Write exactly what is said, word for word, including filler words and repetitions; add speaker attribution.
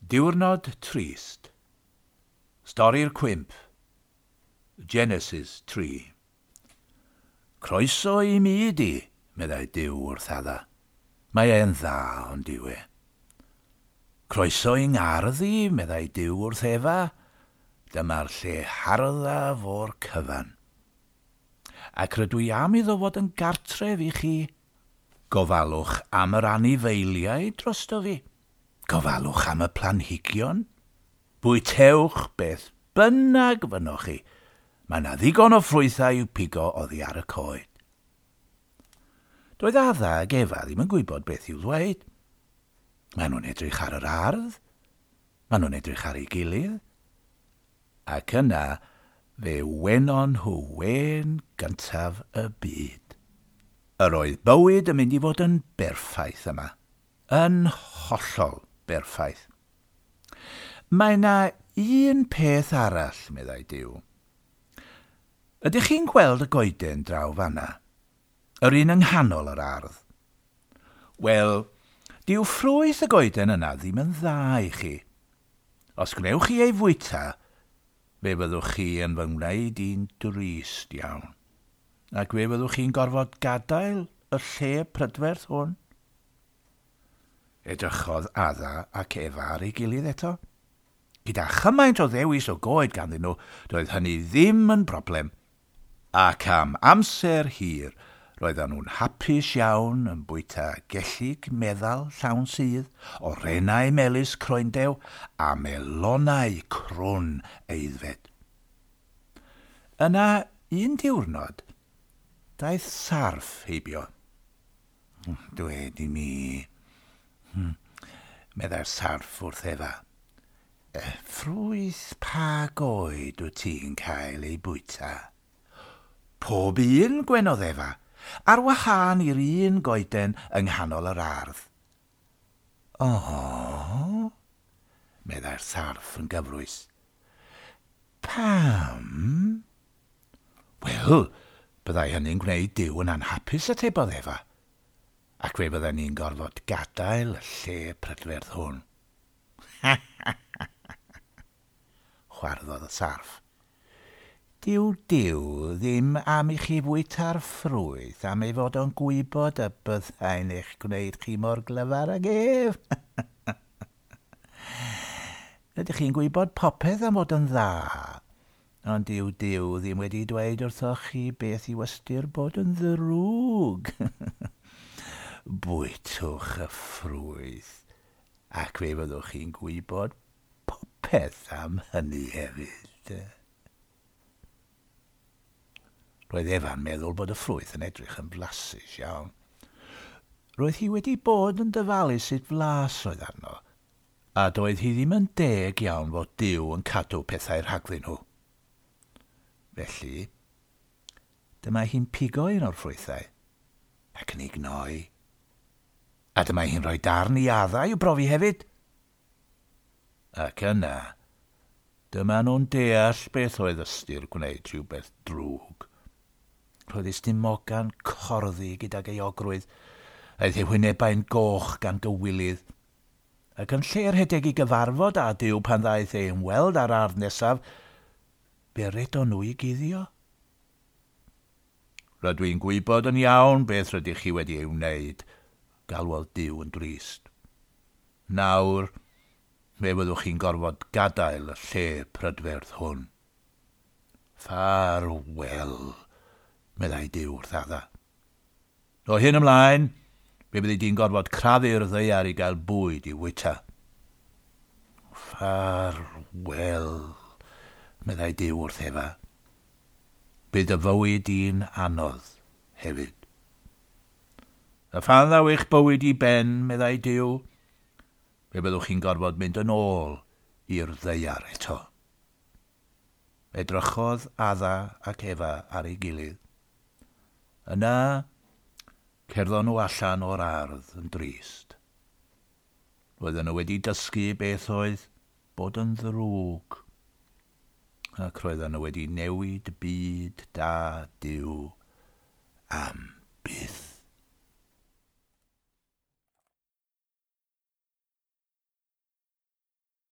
Speaker 1: Diwrnod trist. Stori'r cwymp. Genesis tri. Croeso i mi di, meddai Duw wrth Adda. Mae e'n dda, ond yw e. Croeso i ngardd i, meddai Duw wrth Efa. Dyma'r lle harddaf o'r cyfan. Ac rydw i am iddo fod yn gartref i chi. Gofalwch am yr anifeiliaid drosto fi. Gofalwch am y planhigion. Bwytewch beth bynnag fynnoch chi. Mae yna ddigon o ffrwythau i'w pigo oddi ar y coed. Doedd Adda ag Efa ddim yn gwybod beth i'w ddweud. Maen nhw'n edrych ar yr ardd. Maen nhw'n edrych ar ei gilydd. Ac yna fe wenon nhw wên gyntaf y byd. Yr oedd bywyd yn mynd i fod yn berffaith yma. Yn hollol berffaith. Mae yna un peth arall, meddai Duw. Ydych chi'n gweld y goeden draw fanna? Yr un yng nghanol yr ardd? Wel, dyw ffrwyth y goeden yna ddim yn dda i chi. Os gwnewch chi ei fwyta, fe fyddwch chi yn fy ngwneud i'n drist iawn. Ac fe fyddwch chi'n gorfod gadael y lle prydferth hwn. Edrychodd Adda ac Efa ar ei gilydd eto. Gyda chymaint o ddewis o goed ganddyn nhw, doedd hynny ddim yn broblem. Ac am amser hir, roedden nhw'n hapus iawn yn bwyta gellig meddal llawn sudd, orenau melys croendew a melonau crwn aeddfed. Yna, un diwrnod, daeth sarff heibio. Dwed i mi, Hmm. meddai'r sarff wrth Efa. E, ffrwyth pa goed wyt ti'n cael ei bwyta? Pob un, gwenodd Efa, ar wahân i'r un goeden yng nghanol yr ardd. O, meddai'r sarff yn gyfrwys. Pam? Wel, byddai hynny'n gwneud Duw yn anhapus, atebodd Efa. Ac fe fydden ni'n gorfod gadael y lle prydferth hwn. Chwarddodd y sarff. Dyw Duw ddim am i chi fwyta'r ffrwyth am ei fod o'n gwybod y byddai'n eich gwneud chi mor glyfar ag ef. Ydych chi'n gwybod popeth am fod yn dda, ond dyw Duw ddim wedi dweud wrthoch chi beth yw ystyr bod yn ddrwg. Bwytwch y ffrwyth, ac fe fyddwch chi'n gwybod popeth am hynny hefyd. Roedd Efa'n meddwl bod y ffrwyth yn edrych yn flasus iawn. Roedd hi wedi bod yn dyfalu sut flas oedd arno, a doedd hi ddim yn deg iawn fod Duw yn cadw pethau rhagddyn nhw. Felly, dyma hi'n pigo un o'r ffrwythau, ac yn ei gnoi. A dyma hi'n rhoi darn i Adda i'w brofi hefyd. Ac yna, dyma nhw'n deall beth oedd ystyr gwneud rhywbeth drwg. Roedd ei stumoga'n corddi gydag euogrwydd, aeth ei hwynebau'n goch gan gywilydd. Ac yn lle rhedeg i gyfarfod â Duw pan ddaeth ei ymweld â'r ardd nesaf, fe redon nhw i guddio. Rydw i'n gwybod yn iawn beth rydych chi wedi ei wneud, galwodd Duw yn drist. Nawr, fe fyddwch chi'n gorfod gadael y lle prydferth hwn. Ffarwel, meddai Duw wrth Adda. O hyn ymlaen, fe fyddi di'n gorfod crafu'r ddaear i gael bwyd i wyta. Ffarwel, meddai Duw wrth Efa. Bydd y fywyd i'n anodd hefyd. A phan ddaw eich bywyd i ben, meddai Duw, fe byddwch chi'n gorfod mynd yn ôl i'r ddaear eto. Edrychodd Adda ac Efa ar ei gilydd. Yna, cerddon nhw allan o'r ardd yn drist. Roedden nhw wedi dysgu beth oedd bod yn ddrwg, ac roedden nhw wedi newid byd da Duw am byth.